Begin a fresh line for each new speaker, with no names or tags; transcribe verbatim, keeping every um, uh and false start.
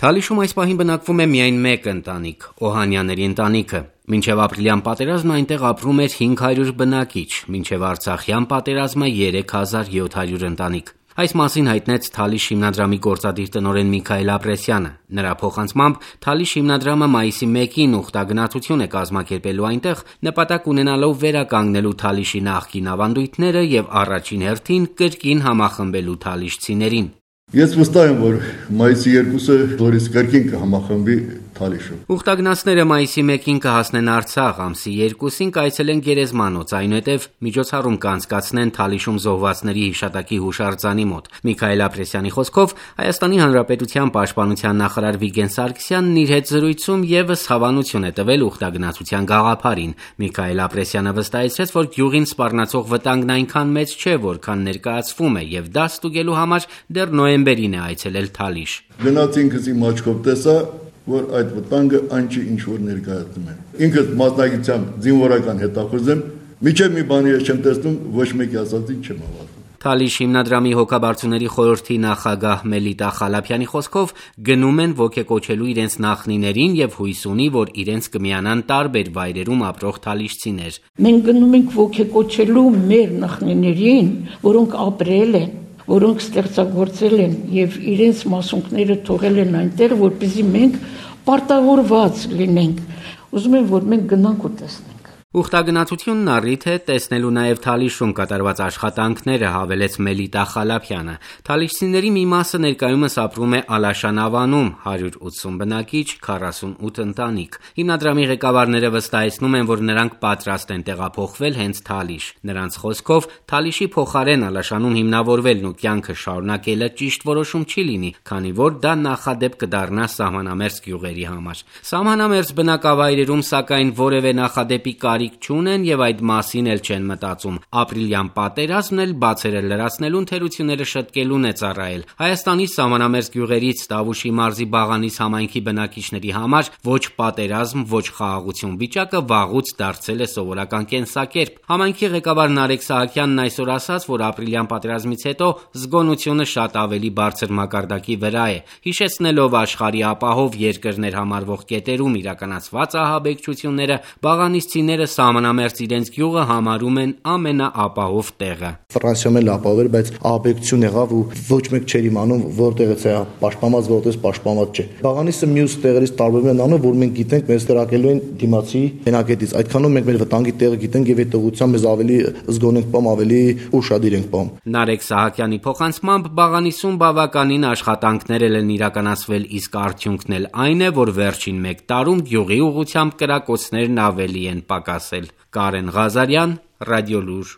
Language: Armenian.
Թալիշում այս պահին բնակվում է միայն մեկ ընտանիք՝ Օհանյանների ընտանիքը։ Մինչև ապրիլյան պատերազմը այնտեղ ապրում էր հինգ հարյուր բնակիչ, մինչև Արցախյան պատերազմը երեք հազար յոթ հարյուր ընտանիք։ Այս մասին հայտնեց Թալիշ հիմնադրամի գործադիր տնօրեն Միքայել Ապրեսյանը։ Նրա փոխանցմամբ Թալիշ հիմնադրամը մայիսի մեկին ուխտագնացություն է կազմակերպելու այնտեղ՝ նպատակ ունենալով վերականգնելու Թալիշի նախկին ավանդույթները եւ առաջին հերթին կրկին համախմբելու թալիշցիներին։
Ես վստահ եմ, որ մայիսի երկուսը նորից կրկին կհամախմբի Թալիշում։
Ուխտագնացները մայիսի մեկին կհասնեն Արցախ, ամսի երկուսին կայցելեն Գերեզմանոց, այնուհետև միջոցառում կանցկացնեն Թալիշում զոհվածների հիշատակի հուշարձանի մոտ։ Միքայել Ապրեսյանի խոսքով Հայաստանի Հանրապետության պաշտպանության նախարար Վիգեն Սարգսյանն իր հետ զրույցում եւս հավանություն է տվել ուխտագնացության գաղափարին։ Միքայել Ապրեսյանը վստահեցրեց, որ գյուղին սպառնացող վտանգն այնքան մեծ չէ, որքան ներկայացվում է, եւ դա ստուգելու համար դեռ նոյեմբերին է այցելել Թալիշ։
Գնաց ինքս իմ աչքով տեսա, որ այդ վտանգը այն չի, ինչ որ ներկայացնում են։ Ինքս մասնագիտությամբ զինվորական հետախուզ եմ, միջև մի բանի ես չեմ տեսնում, ոչ մեկի ասածին չեմ հավատում։
Թալիշ հիմնադրամի հոգաբարձուների խորհրդի նախագահ Մելիտա Խալափյանի խոսքով գնում են ոգեկոչելու իրենց նախնիներին եւ հույս ունի, որ իրենց կմիանան տարբեր վայրերում ապրող թալիշցիներ։
Մենք գնում ենք ոգեկոչելու մեր նախնիներին, որոնք ապրել են, որոնք ստեղծագործել են եւ իրենց մասունքները թողել են այնտեղ, որպեսզի մենք պարտավորված լինենք։ Ուզում եմ, որ մենք գնանք ու տեսնենք։
Ուխտագնացությունն առիթ է տեսնելու նաև Թալիշում կատարված աշխատանքները, հավելեց Մելիտա Խալափյանը։ Թալիշցիների մի մասը ներկայումս ապրում է Ալաշան ավանում, հարյուր ութսուն բնակիչ, քառասունութ ընտանիք։ Հիմնադրամի ղեկավարները վստահեցնում են, որ նրանք պատրաստ են տեղափոխվել հենց Թալիշ։ Նրանց խոսքով Թալիշի փոխարեն Ալաշանում հիմնավորվելն ու կյանքը շարունակելը ճիշտ որոշում չի լինի, քանի որ դա նախադեպ կդառնա սահմանամերձ գյուղերի համար։ Սահմանամերձ բնակավայրերում, սակայն, որևէ նախադեպի կարիք չունեն եւ այդ մասին էլ չեն մտածում։ Ապրիլյան պատերազմն էլ բացերը լրացնելուն թերությունները շտկելուն է ծառայել։ Հայաստանի սահմանամերձ գյուղերից Տավուշի մարզի Բաղանիս համայնքի բնակիչների համար ոչ պատերազմ, ոչ խաղաղություն վիճակը վաղուց դարձել է սովորական կենսակերպ։ Համայնքի ղեկավար Նարեկ Սահակյանն այսօր ասաց, որ ապրիլյան պատերազմից հետո զգոնությունը շատ ավելի բարձր մակարդակի վրա է, հիշեցնելով աշխարհի ապահով երկրներ համարվող կետերում իրականացված ահաբեկչությունները, բաղանիսցիները սահմանամերձ իրենց գյուղը համարում են ամենաապահով տեղը։
Ֆրանսիայում էլ ապահով էր, բայց ահաբեկչություն եղավ ու ոչ մեկ չէր իմանում որտեղից է պաշտպանված, որտեղից պաշտպանված չէ։ Բաղանիսը մյուս տեղերից տարբերվում է նրանով, որ մենք գիտենք մեզ տեղակելու են դիմացի հենակետից։ Այդքանով մենք մեր վտանգի տեղը գիտենք եւ այդ ուղղությամբ մեզ ավելի զգոն ենք պահում, ավելի ուշադիր ենք պահում։
Նարեկ Սահակյանի փոխանցմամբ Բաղանիսում բավականին աշխատանքներ են իրականացվել, իսկ արդյունքն էլ այն է, որ վերջին մեկ տարում գյուղի ուղղությամբ կրակոցներն ավելի են պակասել։ Կարեն Ղազարյան, Ռադիոլուր։